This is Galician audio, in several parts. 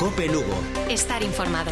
COPE Lugo. Estar informado.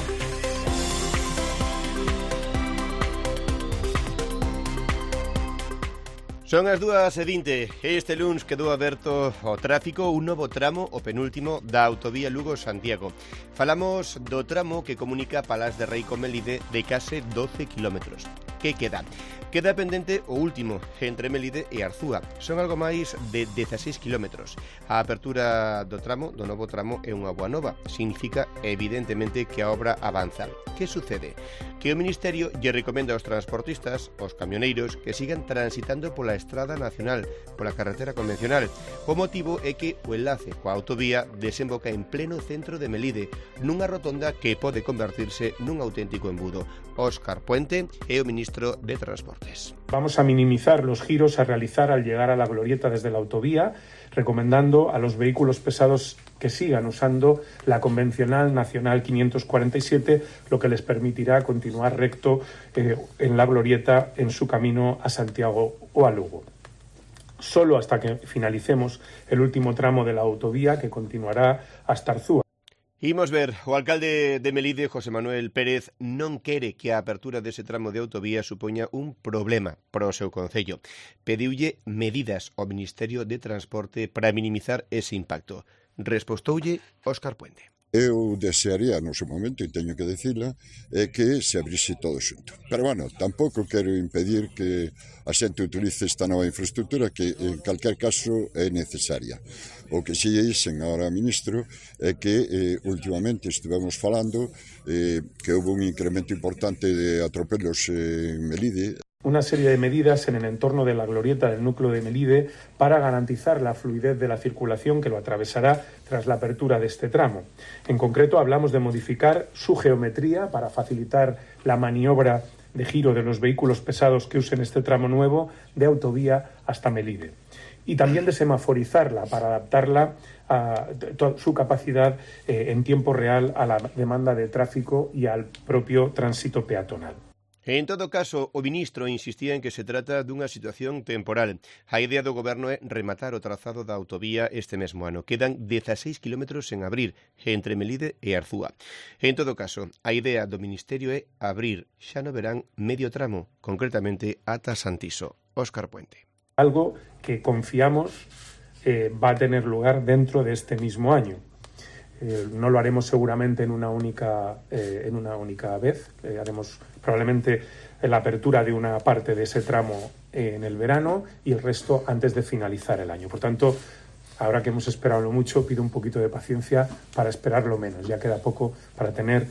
Son as 2:20. Este luns quedou aberto ao tráfico un novo tramo, o penúltimo, da autovía Lugo-Santiago. Falamos do tramo que comunica Palas de Rei con Melide de case 12 kilómetros. Que queda? Queda pendente o último, entre Melide e Arzúa. Son algo máis de 16 kilómetros. A apertura do novo tramo, é unha boa nova. Significa, evidentemente, que a obra avanza. Que sucede? Que o Ministerio lle recomenda aos transportistas, aos camioneiros, que sigan transitando pola estrada nacional, pola carretera convencional. O motivo é que o enlace coa autovía desemboca en pleno centro de Melide, nunha rotonda que pode convertirse nun auténtico embudo. Óscar Puente é o ministro de Transportes. Vamos a minimizar los giros a realizar al llegar a la glorieta desde la autovía, recomendando a los vehículos pesados que sigan usando la convencional nacional 547, lo que les permitirá continuar recto en la glorieta en su camino a Santiago o a Lugo. Solo hasta que finalicemos el último tramo de la autovía, que continuará hasta Arzúa. Imos ver, o alcalde de Melide, José Manuel Pérez, non quere que a apertura dese tramo de autovía supoña un problema para o seu concello. Pediulle medidas ao Ministerio de Transporte para minimizar ese impacto. Respostoulle Óscar Puente. Eu desearía, no seu momento, e teño que dicila, que se abrise todo xunto. Pero, bueno, tampouco quero impedir que a xente utilice esta nova infraestructura que, en calquer caso, é necesaria. O que si dixen agora, ministro, é que últimamente estivemos falando que houve un incremento importante de atropelos en Melide. Una serie de medidas en el entorno de la glorieta del núcleo de Melide para garantizar la fluidez de la circulación que lo atravesará tras la apertura de este tramo. En concreto, hablamos de modificar su geometría para facilitar la maniobra de giro de los vehículos pesados que usen este tramo nuevo de autovía hasta Melide. Y también de semaforizarla para adaptarla a su capacidad en tiempo real a la demanda de tráfico y al propio tránsito peatonal. En todo caso, o ministro insistía en que se trata dunha situación temporal. A idea do goberno é rematar o trazado da autovía este mesmo ano. Quedan 16 kilómetros en abrir entre Melide e Arzúa. En todo caso, a idea do ministerio é abrir xa no verán medio tramo, concretamente ata Santiso. Óscar Puente. Algo que confiamos va a tener lugar dentro de este mismo año. No lo haremos seguramente en una única vez. Haremos probablemente la apertura de una parte de ese tramo en el verano y el resto antes de finalizar el año. Por tanto, ahora que hemos esperado mucho, pido un poquito de paciencia para esperarlo menos. Ya queda poco para tener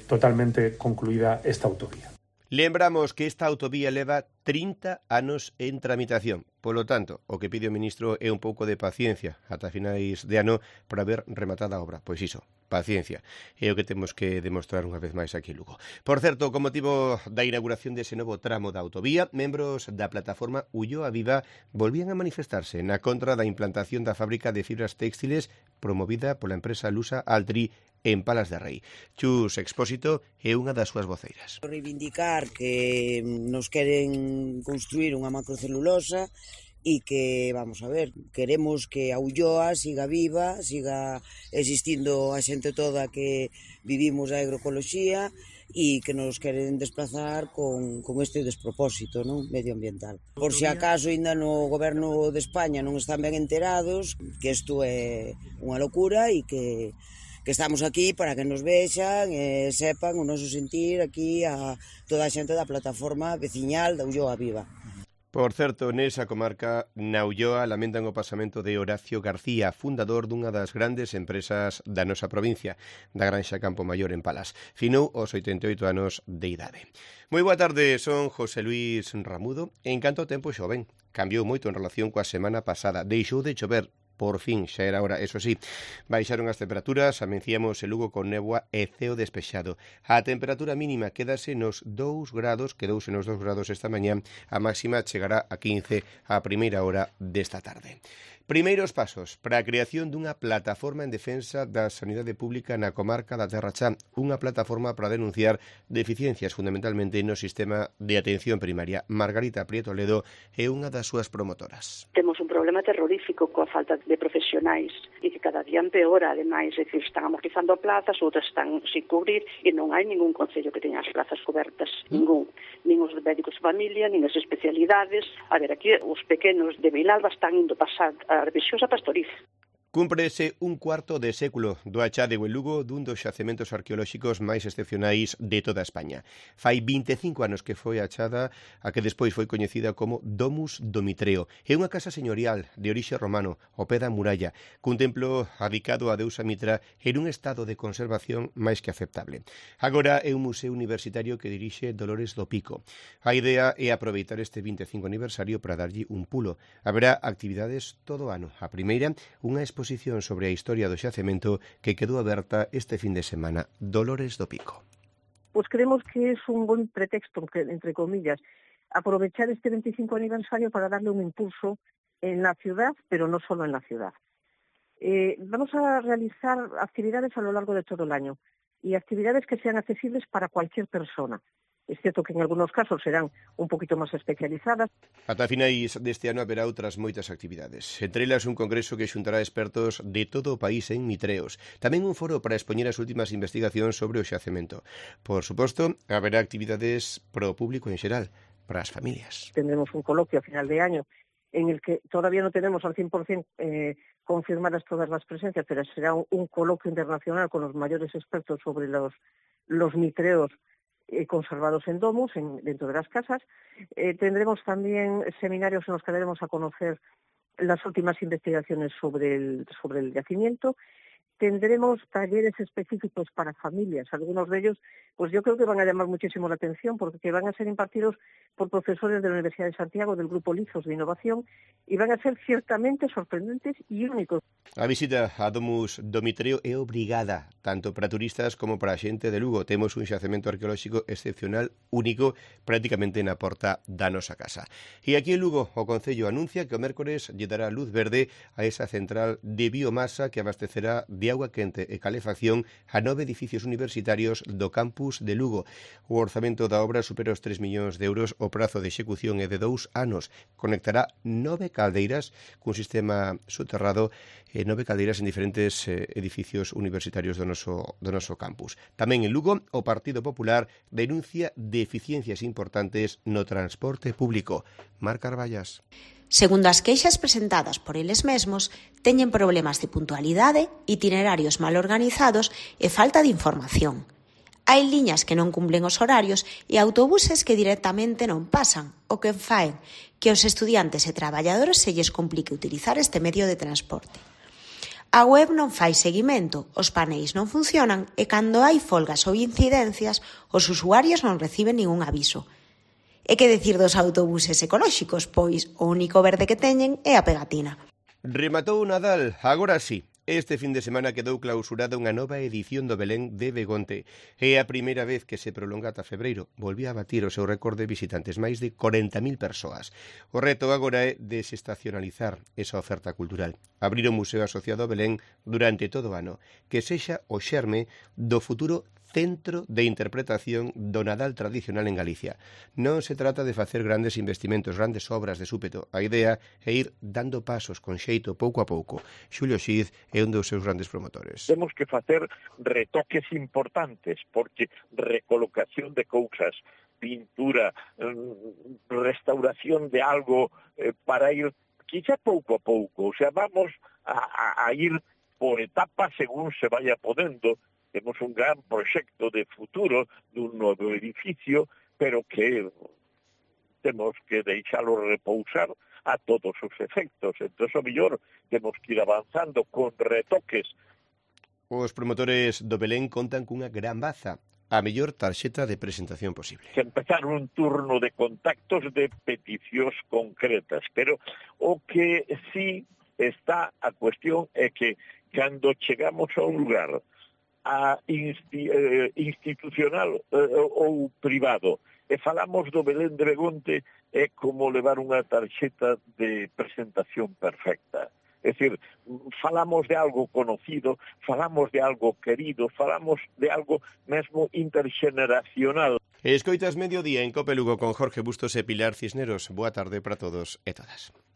totalmente concluida esta autovía. Lembramos que esta autovía leva 30 anos en tramitación. Polo tanto, o que pide o ministro é un pouco de paciencia ata finais de ano para ver rematada a obra. Pois iso, paciencia. É o que temos que demostrar unha vez máis aquí en Lugo. Por certo, con motivo da inauguración dese novo tramo da autovía, membros da plataforma Ulloa Viva volvían a manifestarse na contra da implantación da fábrica de fibras textiles promovida pola empresa lusa Altri en Palas de Rei. Chus Expósito é unha das súas voceiras. Reivindicar que nos queren construir unha macrocelulosa e que, vamos a ver, queremos que a Ulloa siga viva, siga existindo a xente toda que vivimos a agroecoloxía e que nos queren desplazar con este despropósito, non, medioambiental. Por si acaso ainda no goberno de España non están ben enterados, que isto é unha locura e que estamos aquí para que nos vexan e sepan o noso sentir aquí a toda a xente da plataforma veciñal da Ulloa Viva. Por certo, nesa comarca, na Ulloa, lamentan o pasamento de Horacio García, fundador dunha das grandes empresas da nosa provincia, da Granxa Campo Maior en Palas. Finou aos 88 anos de idade. Moi boa tarde, son José Luis Ramudo. En canto ao tempo xoven, cambiou moito en relación coa semana pasada. Deixou de chover. Por fin, xa era hora, eso sí, baixaron as temperaturas, amenciamos en Lugo con néboa e ceo despexado. A temperatura mínima quédase nos 2 grados, quedouse nos 2 grados esta mañá, a máxima chegará a 15 a primeira hora desta tarde. Primeiros pasos para a creación dunha plataforma en defensa da sanidade pública na comarca da Terra Chá, unha plataforma para denunciar deficiencias fundamentalmente no sistema de atención primaria. Margarita Prieto Ledo é unha das súas promotoras. Temos un problema terrorífico coa falta de de profesionais e que cada día empeora, ademais, é dicir, están amortizando plazas, outras están sin cubrir e non hai ningún concello que teña as plazas cobertas, ningún, nin os médicos de familia, nin as especialidades. A ver, aquí os pequenos de Vilalba están indo pasar a revisións a Pastoriz. Cúmprese un cuarto de século do achádego en Lugo dun dos xacementos arqueolóxicos máis excepcionais de toda España. Fai 25 anos que foi achada a que despois foi coñecida como Domus Domitreo. É unha casa señorial de orixe romano, ao pé da muralla, cun templo adicado a deusa Mitra en un estado de conservación máis que aceptable. Agora é un museo universitario que dirixe Dolores do Pico. A idea é aproveitar este 25 aniversario para darlle un pulo. Haberá actividades todo o ano. A primeira, unha exposición sobre a historia do xacemento que quedou aberta este fin de semana. Dolores do Pico. Pues creemos que es un buen pretexto, entre comillas, aprovechar este 25 aniversario para darle un impulso en la ciudad, pero no solo en la ciudad. Vamos a realizar actividades a lo largo de todo el año y actividades que sean accesibles para cualquier persona. Es cierto que en algunos casos serán un poquito más especializadas. Ata finais deste ano haberá outras moitas actividades. Entre elas un congreso que xuntará expertos de todo o país en mitreos. Tamén un foro para expoñer as últimas investigacións sobre o xacemento. Por suposto, haberá actividades para o público en xeral, para as familias. Tendremos un coloquio a final de año en el que todavía no tenemos al 100% confirmadas todas las presencias, pero será un coloquio internacional con los mayores expertos sobre los mitreos conservados en domus, dentro de las casas. Tendremos también seminarios en los que daremos a conocer las últimas investigaciones sobre el yacimiento. Tendremos talleres específicos para familias. Algunos de ellos, pues yo creo que van a llamar muchísimo la atención porque van a ser impartidos por profesores de la Universidad de Santiago, del Grupo Lizos de Innovación, y van a ser ciertamente sorprendentes y únicos. A visita a Domus Domitreo é obrigada, tanto para turistas como para a xente de Lugo. Temos un xacemento arqueolóxico excepcional, único, prácticamente na porta da nosa casa. E aquí en Lugo, o Concello anuncia que o mércores lle dará luz verde a esa central de biomasa que abastecerá de agua quente e calefacción a 9 edificios universitarios do campus de Lugo. O orzamento da obra supera os 3 millóns de euros, o prazo de execución é de 2 anos. Conectará 9 caldeiras cun sistema soterrado 9 caldeiras en diferentes edificios universitarios do noso campus. Tamén en Lugo, o Partido Popular denuncia deficiencias importantes no transporte público. Mar Carballas. Segundo as queixas presentadas por eles mesmos, teñen problemas de puntualidade, itinerarios mal organizados e falta de información. Hai liñas que non cumplen os horarios e autobuses que directamente non pasan, o que faen que aos estudiantes e traballadores se lles complique utilizar este medio de transporte. A web non fai seguimento, os paneis non funcionan e cando hai folgas ou incidencias, os usuarios non reciben ningún aviso. E que decir dos autobuses ecolóxicos, pois o único verde que teñen é a pegatina. Rematou o Nadal, agora sí. Este fin de semana quedou clausurada unha nova edición do Belén de Begonte. É a primeira vez que se prolonga ata febreiro. Volvía a batir o seu récord de visitantes, máis de 40.000 persoas. O reto agora é desestacionalizar esa oferta cultural. Abrir o museo asociado ao Belén durante todo o ano. Que sexa o xerme do futuro centro de interpretación do Nadal tradicional en Galicia. Non se trata de facer grandes investimentos, grandes obras de súpeto. A idea é ir dando pasos con xeito pouco a pouco. Xulio Xiz é un dos seus grandes promotores. Temos que facer retoques importantes, porque recolocación de cousas, pintura, restauración de algo para ir quizá pouco a pouco. O sea, vamos a ir por etapas según se vaya podendo. Temos un gran proxecto de futuro dun novo edificio, pero que temos que deixalo repousar a todos os efectos. Entón, o mellor, temos que ir avanzando con retoques. Os promotores do Belén contan cunha gran baza, a mellor tarxeta de presentación posible. Que empezar un turno de contactos de peticións concretas, pero o que sí está a cuestión é que cando chegamos a un lugar institucional ou privado e falamos do Belén de Begonte, é como levar unha tarxeta de presentación perfecta. É dicir, falamos de algo conocido, falamos de algo querido, falamos de algo mesmo interxeneracional. Escoitas Mediodía en Cope Lugo con Jorge Bustos e Pilar Cisneros. Boa tarde para todos e todas.